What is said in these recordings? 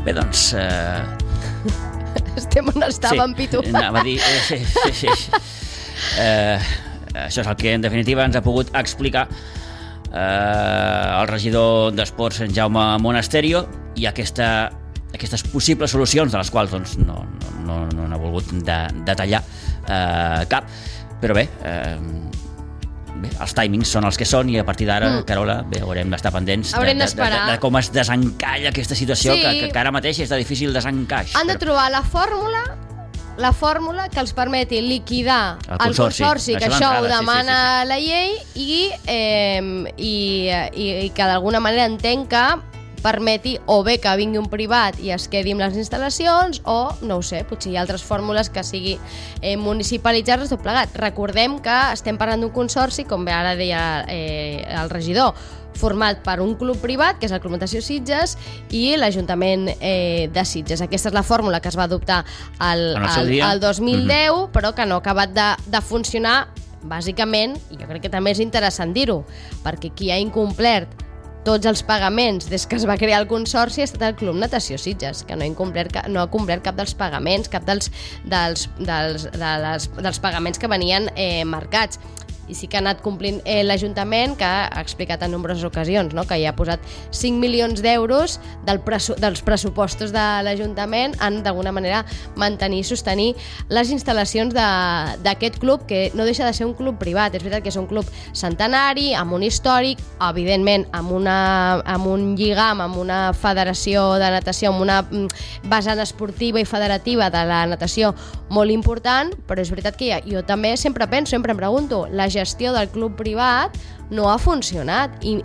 Bé, doncs... Estem on estàvem, Pitu. Anava a dir... Sí. Això és el que en definitiva ens ha pogut explicar el regidor d'Esports, en Jaume Monasterio, i aquestes possibles solucions, de les quals doncs, no n'ha volgut detallar cap, però bé, els timings són els que són, i a partir d'ara, Carola, bé, haurem d'estar pendents de com es desencalla aquesta situació, que ara mateix és de difícil desencaix. Han de trobar la fórmula que els permeti liquidar el consorci, que això ho demana la llei, i que d'alguna manera entenc que permeti o bé que vingui un privat i es quedi amb les instal·lacions, o, no ho sé, potser hi ha altres fórmules que sigui municipalitzar-les tot plegat. Recordem que estem parlant d'un consorci, com bé ara deia el regidor, format per un club privat, que és el Club Natació Sitges, i l'Ajuntament de Sitges. Aquesta és la fórmula que es va adoptar el 2010, però que no ha acabat de funcionar, bàsicament, i jo crec que també és interessant dir-ho, perquè qui ha incomplert tots els pagaments des que es va crear el consorci ha estat el Club Natació Sitges, que no ha complert cap dels pagaments, cap dels pagaments que venien marcats. I sí que ha anat complint l'Ajuntament, que ha explicat en nombroses ocasions, no?, que hi ha posat 5 milions d'euros dels pressupostos de l'Ajuntament en, d'alguna manera, mantenir i sostenir les instal·lacions d'aquest club, que no deixa de ser un club privat. És veritat que és un club centenari, amb un històric, evidentment amb un lligam, amb una federació de natació, amb una vessant esportiva i federativa de la natació molt important, però és veritat que jo també sempre em pregunto, la gestió del club privat no ha funcionat, i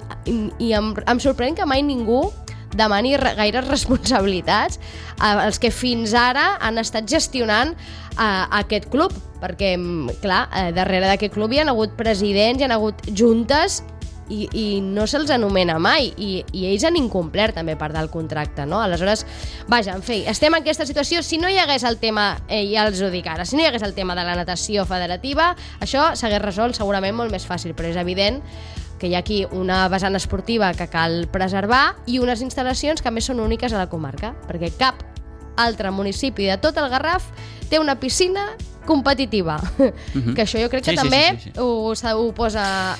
em sorprèn que mai ningú demani gaires responsabilitats als que fins ara han estat gestionant aquest club, perquè, clar, darrere d'aquest club hi ha hagut presidents, hi ha hagut juntes, i no se'ls anomena mai, i ells han incomplert també part del contracte, no? Aleshores, vaja, en fi, estem en aquesta situació. Si no hi hagués el tema, ja els ho dic ara, si no hi hagués el tema de la natació federativa, això s'hagués resolt segurament molt més fàcil, però és evident que hi ha aquí una vessant esportiva que cal preservar i unes instal·lacions que a més són úniques a la comarca, perquè cap altre municipi de tot el Garraf té una piscina competitiva, que això jo crec que també ho posa,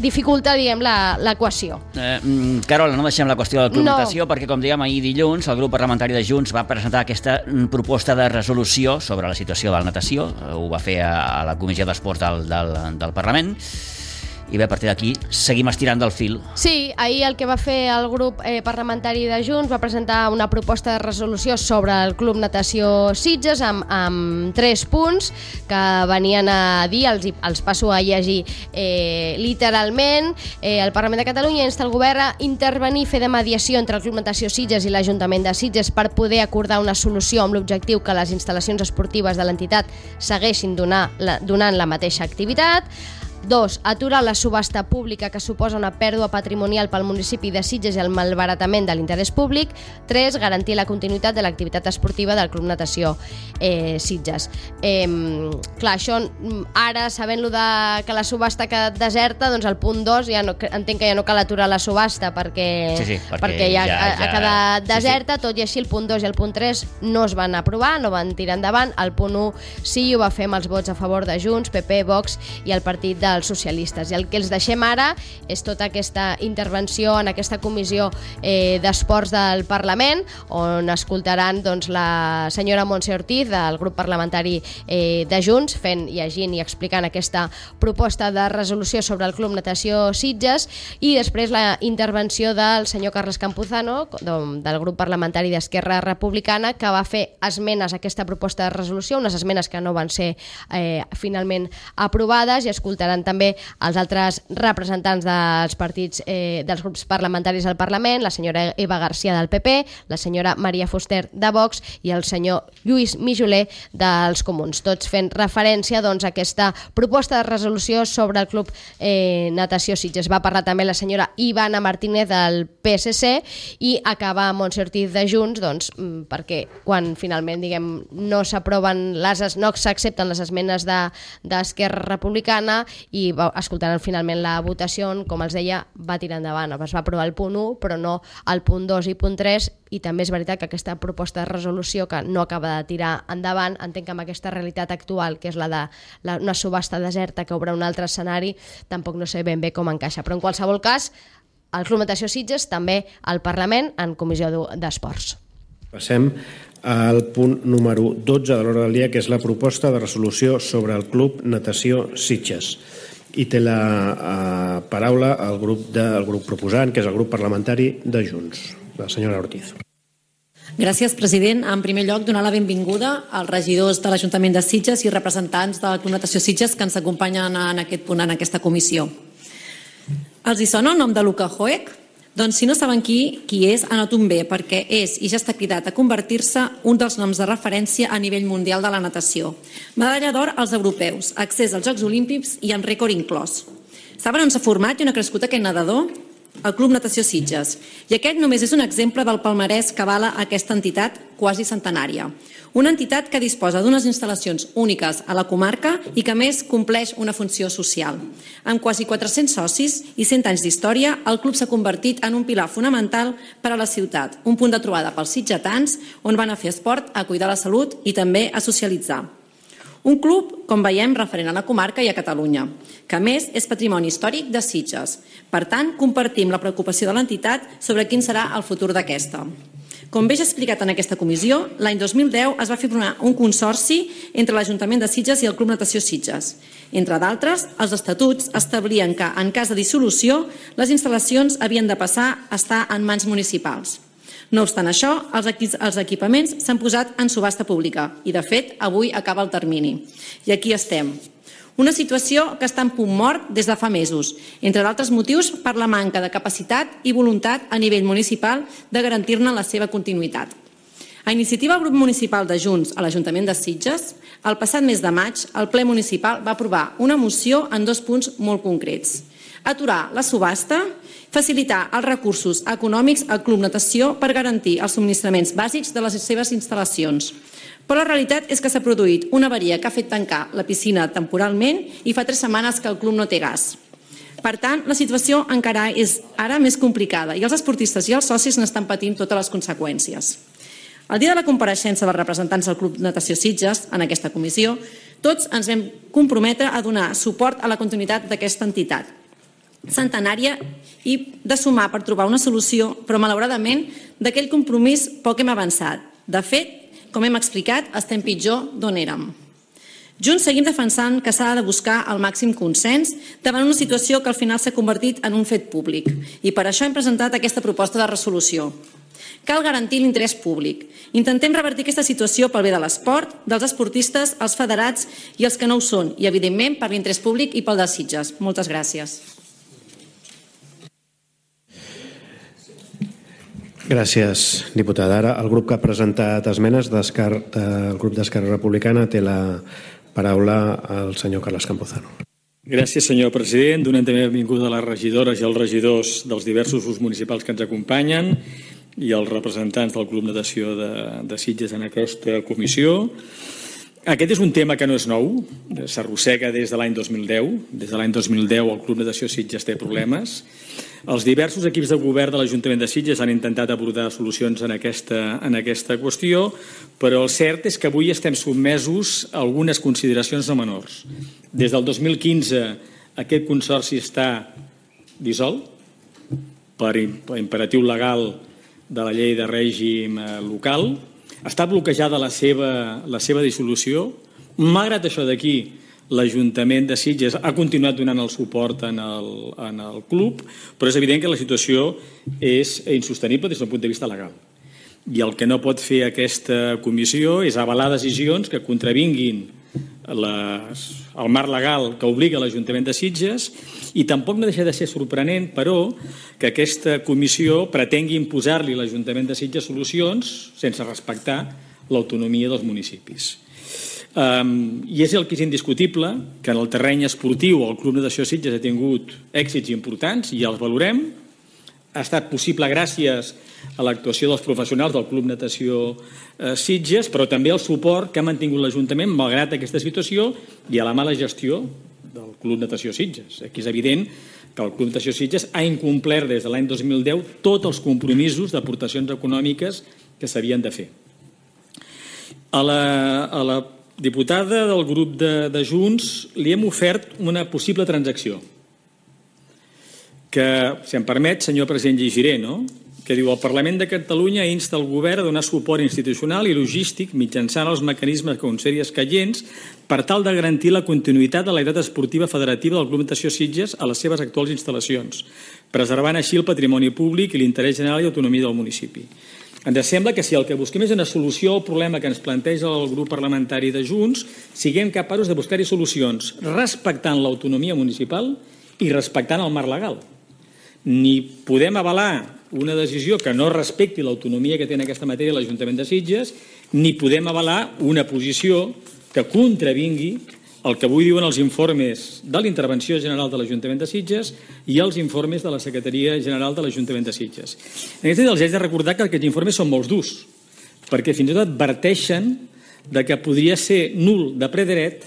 dificulta, diguem, l'equació. Carola, no deixem la qüestió del Club Natació, perquè, com dèiem, ahir dilluns el grup parlamentari de Junts va presentar aquesta proposta de resolució sobre la situació de la natació. Ho va fer a la Comissió d'Esports del Parlament. I bé, a partir d'aquí seguim estirant del fil. Sí, ahir el que va fer el grup parlamentari de Junts va presentar una proposta de resolució sobre el Club Natació Sitges amb 3 punts que venien a dir, els passo a llegir literalment. El Parlament de Catalunya insta el govern a intervenir i fer de mediació entre el Club Natació Sitges i l'Ajuntament de Sitges per poder acordar una solució amb l'objectiu que les instal·lacions esportives de l'entitat segueixin donant la mateixa activitat. 2. Aturar la subhasta pública que suposa una pèrdua patrimonial pel municipi de Sitges i el malbaratament de l'interès públic. 3. Garantir la continuïtat de l'activitat esportiva del Club Natació Sitges. Clar, això ara, sabent-lo que la subhasta ha quedat deserta, doncs el punt 2 entenc que ja no cal aturar la subhasta perquè ja ha quedat deserta. Tot i així, el punt 2 i el punt 3 no es van aprovar, no van tirar endavant. El punt 1 sí, ho va fer amb els vots a favor de Junts, PP, Vox i el partit dels socialistes. I el que els deixem ara és tota aquesta intervenció en aquesta comissió d'esports del Parlament, on escoltaran la senyora Montse Ortiz del grup parlamentari de Junts llegint i explicant aquesta proposta de resolució sobre el Club Natació Sitges, i després la intervenció del senyor Carles Campuzano del grup parlamentari d'Esquerra Republicana, que va fer esmenes a aquesta proposta de resolució, unes esmenes que no van ser finalment aprovades, i escoltaran també els altres representants dels partits, dels grups parlamentaris al Parlament, la senyora Eva García del PP, la senyora Maria Fuster de Vox i el senyor Lluís Mijoler dels Comuns, tots fent referència a aquesta proposta de resolució sobre el Club Natació Sitges. Va parlar també la senyora Ivana Martínez del PSC i acaba Montse Ortiz de Junts, perquè quan finalment no s'accepten les esmenes d'Esquerra Republicana i escoltant finalment la votació, com els deia, va tirar endavant. Es va aprovar el punt 1, però no el punt 2 i punt 3, i també és veritat que aquesta proposta de resolució que no acaba de tirar endavant, entenc que amb aquesta realitat actual, que és la d'una subhasta deserta que obre un altre escenari, tampoc no sé ben bé com encaixa. Però en qualsevol cas, el Club Natació Sitges també al Parlament en Comissió d'Esports. Passem al punt número 12 de l'ordre del dia, que és la proposta de resolució sobre el Club Natació Sitges. I té la paraula el grup proposant, que és el grup parlamentari de Junts, la senyora Ortiz. Gràcies, president. En primer lloc, donar la benvinguda als regidors de l'Ajuntament de Sitges i representants del Club Natació Sitges que ens acompanyen en aquest punt, en aquesta comissió. Els hi sona el nom de Luka Hoek? Doncs si no saben qui és, anoten bé, perquè és i ja està cridat a convertir-se un dels noms de referència a nivell mundial de la natació. Medalla d'or als europeus, accés als Jocs Olímpics i amb rècord inclòs. Saben on s'ha format i on ha crescut aquest nedador? El Club Natació Sitges. I aquest només és un exemple del palmarès que avala aquesta entitat quasi centenària. Una entitat que disposa d'unes instal·lacions úniques a la comarca i que a més compleix una funció social. Amb quasi 400 socis i 100 anys d'història, el club s'ha convertit en un pilar fonamental per a la ciutat, un punt de trobada pels sitgetans on van a fer esport, a cuidar la salut i també a socialitzar. Un club, com veiem, referent a la comarca i a Catalunya, que a més és patrimoni històric de Sitges. Per tant, compartim la preocupació de l'entitat sobre quin serà el futur d'aquesta. Com bé ja explicat en aquesta comissió, l'any 2010 es va fer un consorci entre l'Ajuntament de Sitges i el Club Natació Sitges. Entre d'altres, els estatuts establien que, en cas de dissolució, les instal·lacions havien de passar a estar en mans municipals. No obstant això, els equipaments s'han posat en subhasta pública i, de fet, avui acaba el termini. I aquí estem. Una situació que està en punt mort des de fa mesos, entre d'altres motius per la manca de capacitat i voluntat a nivell municipal de garantir-ne la seva continuïtat. A iniciativa del grup municipal de Junts a l'Ajuntament de Sitges, el passat mes de maig, el ple municipal va aprovar una moció en 2 punts molt concrets. Aturar la subhasta, facilitar els recursos econòmics al Club Natació per garantir els subministraments bàsics de les seves instal·lacions. Però la realitat és que s'ha produït una avaria que ha fet tancar la piscina temporalment i fa 3 setmanes que el club no té gas. Per tant, la situació encara és ara més complicada i els esportistes i els socis n'estan patint totes les conseqüències. El dia de la compareixença dels representants del Club Natació Sitges en aquesta comissió, tots ens vam comprometre a donar suport a la continuïtat d'aquesta entitat centenària i de sumar per trobar una solució, però malauradament d'aquell compromís poc hem avançat. De fet, com hem explicat, estem pitjor d'on érem. Junts seguim defensant que s'ha de buscar el màxim consens davant una situació que al final s'ha convertit en un fet públic i per això hem presentat aquesta proposta de resolució. Cal garantir l'interès públic. Intentem revertir aquesta situació pel bé de l'esport, dels esportistes, els federats i els que no ho són i, evidentment, per l'interès públic i pel de Sitges. Moltes gràcies. Gràcies, diputada. Ara, el grup que ha presentat esmenes del grup d'Esquerra Republicana té la paraula al senyor Carles Campuzano. Gràcies, senyor president. Donem també benvinguda a les regidores i als regidors dels diversos grups municipals que ens acompanyen i als representants del Club Natació de Sitges en aquesta comissió. Aquest és un tema que no és nou, s'arrossega des de l'any 2010. Des de l'any 2010 el Club Natació Sitges té problemes. Els diversos equips de govern de l'Ajuntament de Sitges han intentat abordar solucions en aquesta qüestió, però el cert és que avui estem sotmesos a algunes consideracions no menors. Des del 2015 aquest consorci està dissolt per imperatiu legal de la llei de règim local. Està bloquejada la seva dissolució. Malgrat això d'aquí, l'Ajuntament de Sitges ha continuat donant el suport en el club, però és evident que la situació és insostenible des del punt de vista legal. I el que no pot fer aquesta comissió és avalar decisions que contravinguin el marc legal que obliga l'Ajuntament de Sitges i tampoc no deixa de ser sorprenent, però, que aquesta comissió pretengui imposar-li a l'Ajuntament de Sitges solucions sense respectar l'autonomia dels municipis. I és el que és indiscutible, que en el terreny esportiu el Club Natació Sitges ha tingut èxits importants i els valorem. Ha estat possible gràcies a l'actuació dels professionals del Club Natació Sitges, però també el suport que ha mantingut l'Ajuntament malgrat aquesta situació i a la mala gestió del Club Natació Sitges. Aquí és evident que el Club Natació Sitges ha incomplert des de l'any 2010 tots els compromisos d'aportacions econòmiques que s'havien de fer. A la diputada del grup de Junts li hem ofert una possible transacció que, si em permet, senyor president, llegiré, no? Que diu: el Parlament de Catalunya insta el govern a donar suport institucional i logístic mitjançant els mecanismes concedits escaients per tal de garantir la continuïtat de l'activitat esportiva federativa del Club Natació Sitges a les seves actuals instal·lacions, preservant així el patrimoni públic i l'interès general i autonomia del municipi. Ens sembla que si el que busquem és una solució al problema que ens planteja el grup parlamentari de Junts, siguem capaços de buscar-hi solucions respectant l'autonomia municipal i respectant el marc legal. Ni podem avalar una decisió que no respecti l'autonomia que té en aquesta matèria l'Ajuntament de Sitges, ni podem avalar una posició que contravingui el que avui diuen els informes de la Intervenció General de l'Ajuntament de Sitges i els informes de la Secretaria General de l'Ajuntament de Sitges. En aquest sentit, els haig de recordar que aquests informes són molt durs, perquè fins i tot adverteixen de que podria ser nul de ple dret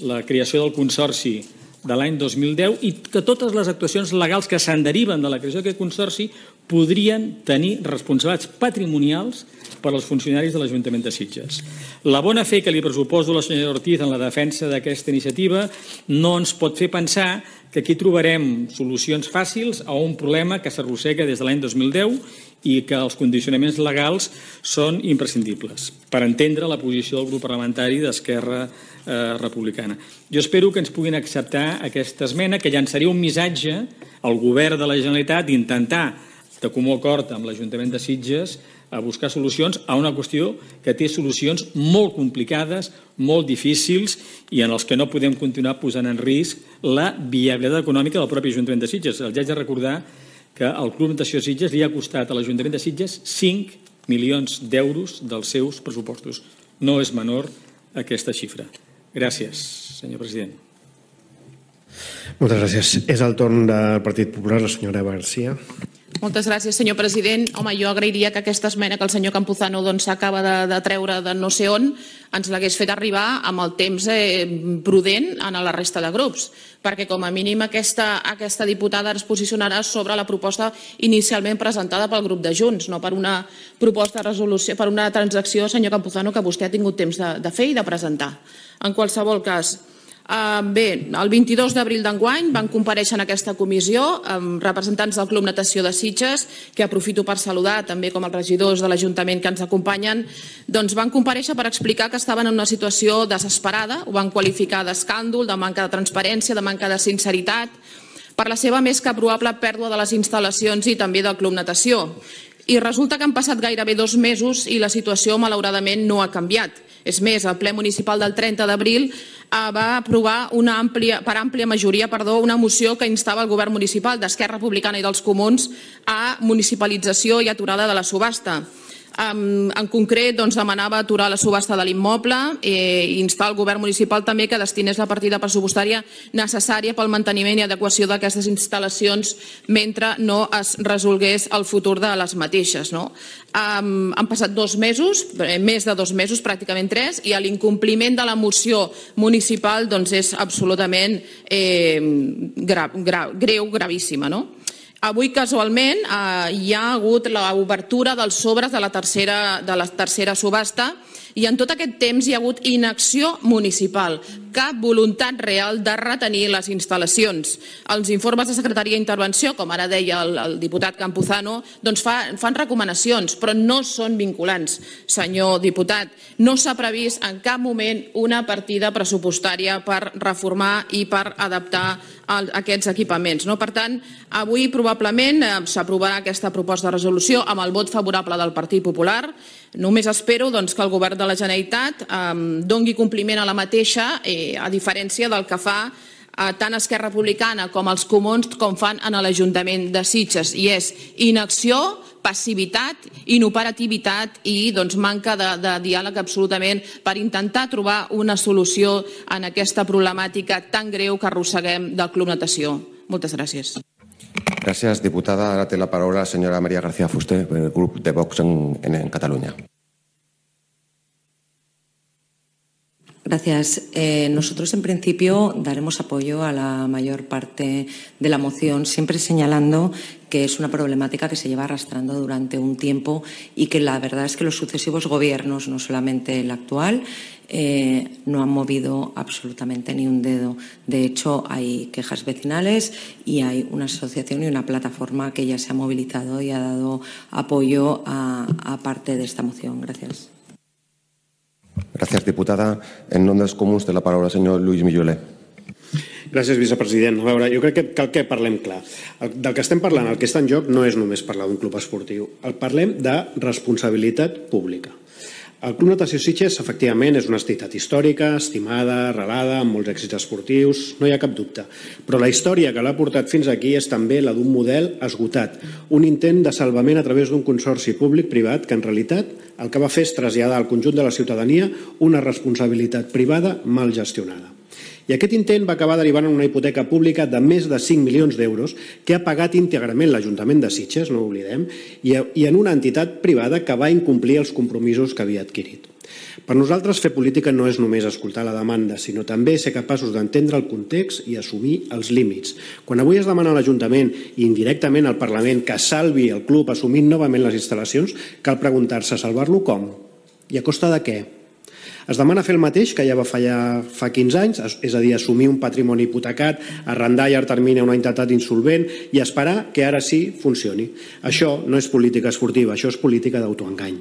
la creació del Consorci de l'any 2010 i que totes les actuacions legals que se'n deriven de la creació d'aquest Consorci podrien tenir responsabilitats patrimonials per als funcionaris de l'Ajuntament de Sitges. La bona fe que li pressuposo a la senyora Ortiz en la defensa d'aquesta iniciativa no ens pot fer pensar que aquí trobarem solucions fàcils a un problema que s'arrossega des de l'any 2010 i que els condicionaments legals són imprescindibles per entendre la posició del grup parlamentari d'Esquerra Republicana. Jo espero que ens puguin acceptar aquesta esmena, que llançaria un missatge al govern de la Generalitat d'intentar, de comú acord amb l'Ajuntament de Sitges, a buscar solucions a una qüestió que té solucions molt complicades, molt difícils i en els que no podem continuar posant en risc la viabilitat econòmica del propi Ajuntament de Sitges. Els haig de recordar que el Club Natació Sitges li ha costat a l'Ajuntament de Sitges 5 milions d'euros dels seus pressupostos. No és menor aquesta xifra. Gràcies, senyor president. Moltes gràcies. És el torn del Partit Popular, la senyora Eva García. Moltes gràcies, senyor president. Home, jo agrairia que aquesta esmena que el senyor Campuzano s'acaba de treure de no sé on ens l'hagués fet arribar amb el temps prudent a la resta de grups, perquè com a mínim aquesta diputada es posicionarà sobre la proposta inicialment presentada pel grup de Junts, no per una proposta de resolució, per una transacció, senyor Campuzano, que vostè ha tingut temps de fer i de presentar. En qualsevol cas, bé, el 22 d'abril d'enguany van comparèixer en aquesta comissió representants del Club Natació de Sitges, que aprofito per saludar també com els regidors de l'Ajuntament que ens acompanyen, doncs van comparèixer per explicar que estaven en una situació desesperada, ho van qualificar d'escàndol, de manca de transparència, de manca de sinceritat, per la seva més que probable pèrdua de les instal·lacions i també del Club Natació. I resulta que han passat gairebé 2 mesos i la situació malauradament no ha canviat. És més, el ple municipal del 30 d'abril va aprovar per àmplia majoria una moció que instava el govern municipal d'Esquerra Republicana i dels Comuns a municipalització i aturada de la subhasta. En concret, demanava aturar la subhasta de l'immoble i instar el govern municipal també que destinés la partida pressupostària necessària pel manteniment i adequació d'aquestes instal·lacions mentre no es resolgués el futur de les mateixes. Han passat 2 mesos, més de 2 mesos, pràcticament 3, i l'incompliment de la moció municipal és absolutament greu, gravíssima. Avui, casualment, hi ha hagut l'obertura dels sobres de la tercera subhasta i en tot aquest temps hi ha hagut inacció municipal, cap voluntat real de retenir les instal·lacions. Els informes de Secretaria d'Intervenció, com ara deia el diputat Campuzano, fan recomanacions, però no són vinculants, senyor diputat. No s'ha previst en cap moment una partida pressupostària per reformar i per adaptar aquests equipaments. Per tant, avui probablement s'aprovarà aquesta proposta de resolució amb el vot favorable del Partit Popular. Només espero que el govern de la Generalitat doni compliment a la mateixa, a diferència del que fa tant Esquerra Republicana com els Comuns com fan en l'Ajuntament de Sitges, i és inacció, passivitat, inoperativitat i manca de diàleg absolutament per intentar trobar una solució en aquesta problemàtica tan greu que arrosseguem del Club Natació. Moltes gràcies. Gracias, diputada. Ahora tiene la palabra la señora María García Fuster, del Grupo de Vox en Cataluña. Gracias. Nosotros, en principio, daremos apoyo a la mayor parte de la moción, siempre señalando que es una problemática que se lleva arrastrando durante un tiempo y que la verdad es que los sucesivos gobiernos, no solamente el actual, no han movido absolutamente ni un dedo. De hecho, hay quejas vecinales y hay una asociación y una plataforma que ya se ha movilizado y ha dado apoyo a parte de esta moción. Gracias. Gràcies, diputada. En nom dels comuns té la paraula el senyor Lluís Milloler. Gràcies, vicepresident. A veure, jo crec que cal que parlem clar. Del que estem parlant, el que està en joc no és només parlar d'un club esportiu. Parlem de responsabilitat pública. El Club Natació Sitges, efectivament, és una entitat històrica, estimada, arrelada, amb molts èxits esportius, no hi ha cap dubte. Però la història que l'ha portat fins aquí és també la d'un model esgotat, un intent de salvament a través d'un consorci públic-privat que, en realitat, el que va fer és traslladar al conjunt de la ciutadania una responsabilitat privada mal gestionada. I aquest intent va acabar derivant en una hipoteca pública de més de 5 milions d'euros que ha pagat íntegrament l'Ajuntament de Sitges, no ho oblidem, i en una entitat privada que va incomplir els compromisos que havia adquirit. Per nosaltres, fer política no és només escoltar la demanda, sinó també ser capaços d'entendre el context i assumir els límits. Quan avui es demana a l'Ajuntament i indirectament al Parlament que salvi el club assumint novament les instal·lacions, cal preguntar-se, salvar-lo com? I a costa de què? Es demana fer el mateix que ja va fallar fa 15 anys, és a dir, assumir un patrimoni hipotecat, arrendar a llarg termini a una entitat insolvent i esperar que ara sí funcioni. Això no és política esportiva, això és política d'autoengany.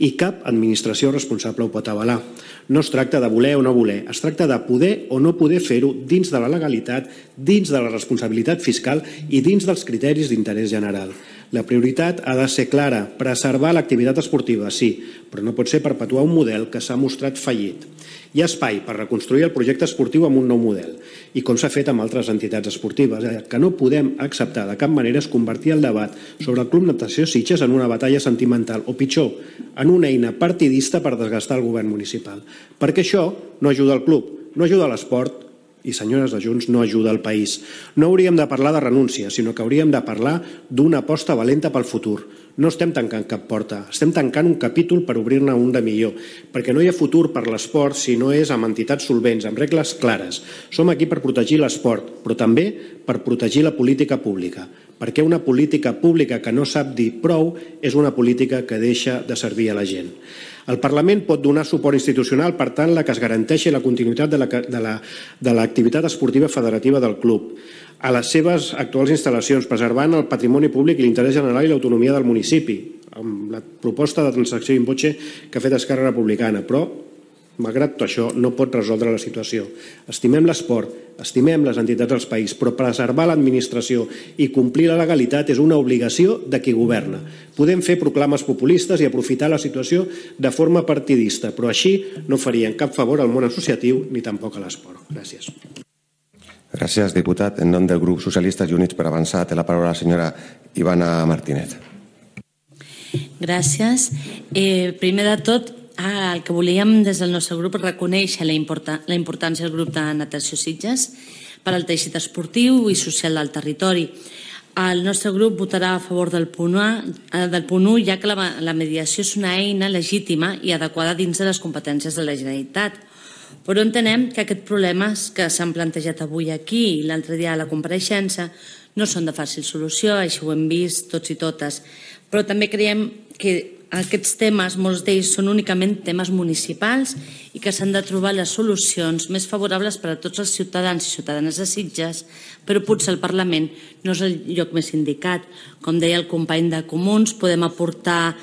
I cap administració responsable ho pot avalar. No es tracta de voler o no voler, es tracta de poder o no poder fer-ho dins de la legalitat, dins de la responsabilitat fiscal i dins dels criteris d'interès general. La prioritat ha de ser clara, preservar l'activitat esportiva, sí, però no pot ser perpetuar un model que s'ha mostrat fallit. Hi ha espai per reconstruir el projecte esportiu amb un nou model, i com s'ha fet amb altres entitats esportives. El que no podem acceptar de cap manera és convertir el debat sobre el Club Natació Sitges en una batalla sentimental, o pitjor, en una eina partidista per desgastar el govern municipal. Perquè això no ajuda al club, no ajuda a l'esport, i, senyores de Junts, no ajuda al país. No hauríem de parlar de renúncia, sinó que hauríem de parlar d'una aposta valenta pel futur. No estem tancant cap porta, estem tancant un capítol per obrir-ne un de millor, perquè no hi ha futur per l'esport si no és amb entitats solvents, amb regles clares. Som aquí per protegir l'esport, però també per protegir la política pública, perquè una política pública que no sap dir prou és una política que deixa de servir a la gent. El Parlament pot donar suport institucional, per tant, que es garanteixi la continuïtat de l'activitat esportiva federativa del club a les seves actuals instal·lacions, preservant el patrimoni públic i l'interès general i l'autonomia del municipi, amb la proposta de transacció in voce que ha fet Esquerra Republicana, però, malgrat tot això, no pot resoldre la situació. Estimem l'esport, estimem les entitats del país, però preservar l'administració i complir la legalitat és una obligació de qui governa. Podem fer proclames populistes i aprofitar la situació de forma partidista, però així no farien cap favor al món associatiu ni tampoc a l'esport. Gràcies. Gràcies, diputat. En nom del grup Socialistes i Units per Avançar té la paraula la senyora Ivana Martínez. Gràcies. Primer de tot, el que volíem des del nostre grup és reconèixer la importància del grup de Natació Sitges per al teixit esportiu i social del territori. El nostre grup votarà a favor del punt 1, ja que la mediació és una eina legítima i adequada dins de les competències de la Generalitat. Però entenem que aquests problemes que s'han plantejat avui aquí i l'altre dia a la compareixença no són de fàcil solució, així ho hem vist tots i totes. Però també creiem que aquests temes, molts d'ells són únicament temes municipals i que s'han de trobar les solucions més favorables per a tots els ciutadans i ciutadanes de Sitges, però potser el Parlament no és el lloc més indicat. Com deia el company de Comuns, podem aportar,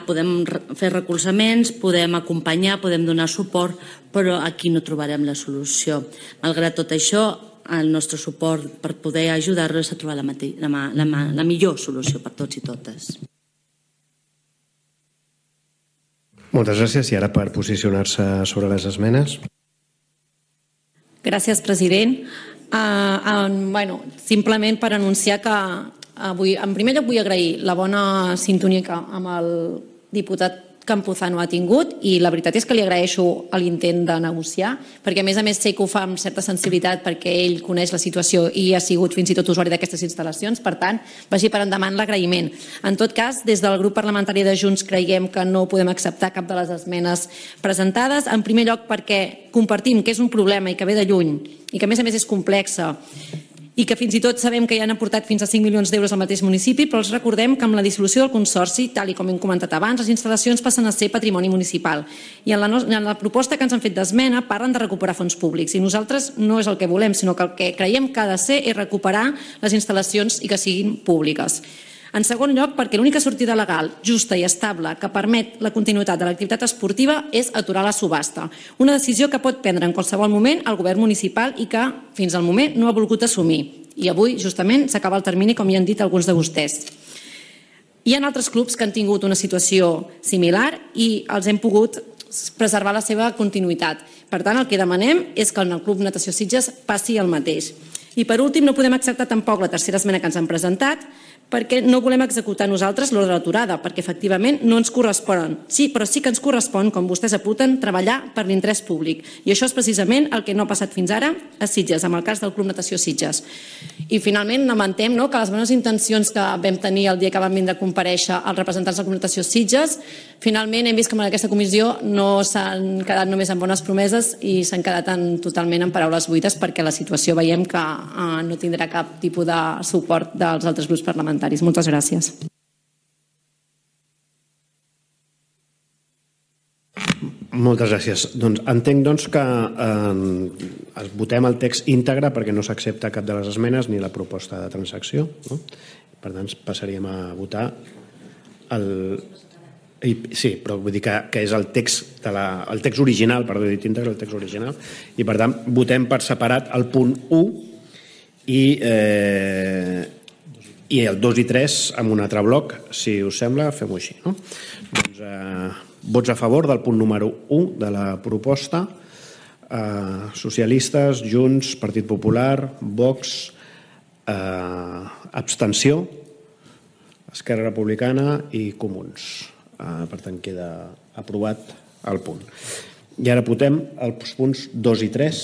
podem fer recolzaments, podem acompanyar, podem donar suport, però aquí no trobarem la solució. Malgrat tot això, el nostre suport per poder ajudar-los a trobar la millor solució per tots i totes. Moltes gràcies. I ara per posicionar-se sobre les esmenes. Gràcies, president. Simplement per anunciar que avui, en primer lloc, vull agrair la bona sintonia amb el diputat Campuzano ha tingut, i la veritat és que li agraeixo l'intent de negociar, perquè a més sé que ho fa amb certa sensibilitat perquè ell coneix la situació i ha sigut fins i tot usuari d'aquestes instal·lacions, per tant, vagi per endavant l'agraïment. En tot cas, des del grup parlamentari de Junts creiem que no podem acceptar cap de les esmenes presentades, en primer lloc perquè compartim que és un problema i que ve de lluny i que a més és complexa i que fins i tot sabem que hi han aportat fins a 5 milions d'euros al mateix municipi, però els recordem que amb la dissolució del Consorci, tal com hem comentat abans, les instal·lacions passen a ser patrimoni municipal. I en la proposta que ens han fet d'esmena parlen de recuperar fons públics i nosaltres no és el que volem, sinó que el que creiem que ha de ser és recuperar les instal·lacions i que siguin públiques. En segon lloc, perquè l'única sortida legal, justa i estable que permet la continuïtat de l'activitat esportiva és aturar la subhasta. Una decisió que pot prendre en qualsevol moment el govern municipal i que fins al moment no ha volgut assumir. I avui, justament, s'acaba el termini, com ja han dit alguns de vostès. Hi ha altres clubs que han tingut una situació similar i els hem pogut preservar la seva continuïtat. Per tant, el que demanem és que en el Club Natació Sitges passi el mateix. I per últim, no podem acceptar tampoc la tercera esmena que ens han presentat, perquè no volem executar nosaltres l'ordre d'aturada, perquè efectivament no ens corresponen. Sí, però sí que ens correspon, com vostès apunten, treballar per l'interès públic. I això és precisament el que no ha passat fins ara a Sitges, amb el cas del Club Natació Sitges. I finalment lamentem que les bones intencions que vam tenir el dia que van vindre a comparèixer els representants del Club Natació Sitges, finalment hem vist que en aquesta comissió no s'han quedat només en bones promeses i s'han quedat totalment en paraules buides, perquè la situació veiem que no tindrà cap tipus de suport dels altres grups parlamentaris. Moltes gràcies. Moltes gràcies. Entenc que votem el text íntegre perquè no s'accepta cap de les esmenes ni la proposta de transacció. Per tant, passaríem a votar sí, però vull dir que és el text original, perdó, he dit íntegre, el text original, i per tant votem per separat el punt 1 i el 2 i 3 en un altre bloc, si us sembla, fem-ho així. Vots a favor del punt número 1 de la proposta, socialistes, Junts, Partit Popular, Vox, abstenció, Esquerra Republicana i Comuns. Per tant, queda aprovat el punt. I ara votem els punts 2 i 3.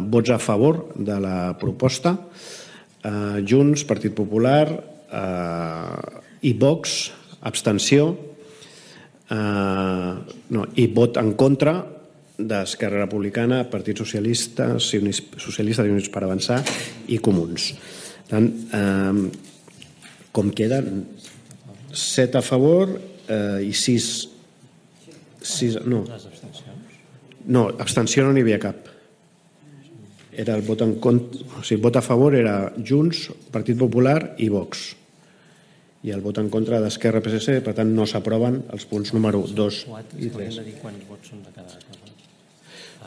Vots a favor de la proposta. Junts, Partit Popular i Vox, abstenció, i vot en contra d'Esquerra Republicana, Partit Socialista i Units per Avançar i Comuns. Per tant, com queden? 7 a favor i 6... No, abstenció no n'hi havia cap. Era el vot en contra, o sigui, vot a favor era Junts, Partit Popular i Vox. I el vot en contra d'Esquerra i PSC, per tant, no s'aproven els punts número 2 i 3.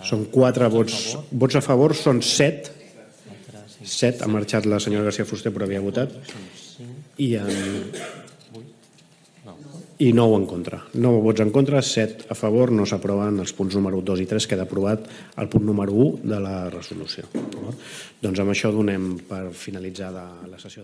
Són 4 vots. Vots a favor són 7. 7, ha marxat la senyora García Fuster, però havia votat. I 9 en contra. 9 vots en contra, 7 a favor, no s'aproven els punts número 2 i 3, queda aprovat el punt número 1 de la resolució. Doncs amb això donem per finalitzada la sessió.